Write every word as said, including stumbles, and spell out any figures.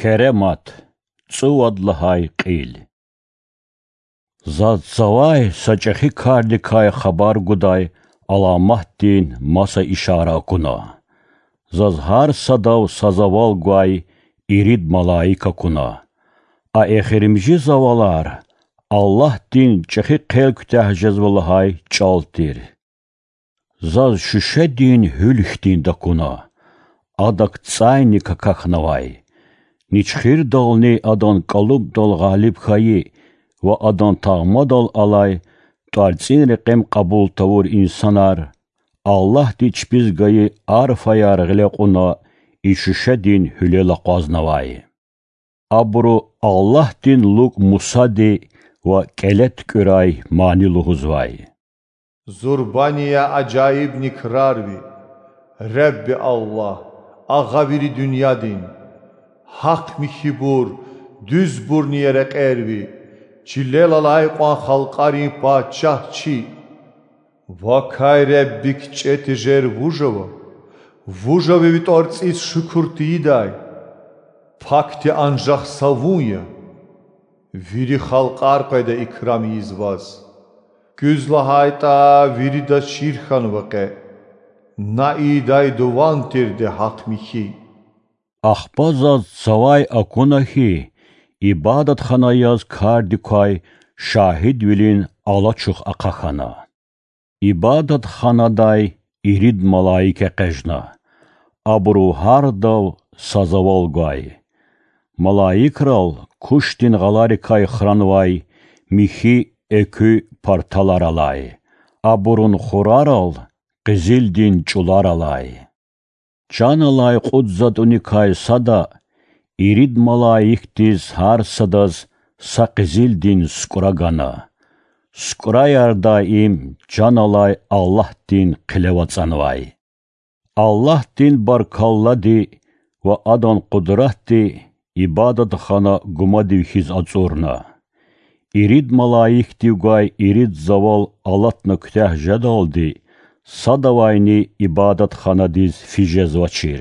Керемат, цӀувад лагьай кьил. Заз цавай са чӀехи кардикай хабар гудай аламатдин маса ишара акуна. Заз гьар садав са завал гвай ирид малаик акуна. А эхиримжи завалар Аллагьдин чӀехи хъел куьтягь жезва лагьай чӀал тир. Заз шуьшедин гьуьл хьтинди акуна. Адак цӀайни какахьнавай. Ничхирдални адан кӀалубдал гъалиб хьайи ва адан тагъмадал алай тӀварцӀин рекьем кьабул тавур инсанар Аллагьди чпиз гайи арфаяр гъиле кьуна и шуьшедин гьуьлел акъвазнавай. Абуру Аллагьдин лукӀ Мусади ва кӀеле туькӀуьрай мани лугьузвай. Зурбани я ажаибни крар ви, Ребби Аллагь, Агъа вири дуьньядин! Гьахъ-михьибур, дуьзбурни я рекьер ви, чилел алай кьван халкьарин пачагь чи! Вакай Ребби кичӀе тежер вуж ава? Вуж ава ви тӀварцӀиз шукур тийидай? Пакди анжах са вун я. Вири халкьар къведа икрам ийиз ваз. Куьз лагьайтӀа, виридаз чир хьанва къе. На ийидай дуван тирди гьахъ-михьи. Ахпа заз цавай акуна хьи, ибадатхана яз кардик квай шагьидвилин алачух ахъа хьана. Ибадатханадай ирид малаик экъечӀна. Абуру гьардав са завал гвай. Малаикрал кушдин гъаларикай хранвай михьи экуь парталар алай, абурун хурарал къизилдин чӀулар алай. Чан алай кьуд затӀуникай сада ирид малаикдиз гьар садаз са къизилдин сукӀра гана. СукӀраяр даим чан алай Аллагьдин хъилев ацӀанвай. Аллагьдин баркаллади ва Адан къудратди ибадатхана гумадив хьиз ацӀурна. Ирид малаикдив гвай ирид завал алатна куьтягь жедалди садавайни ибадатханадиз физ жезвачир.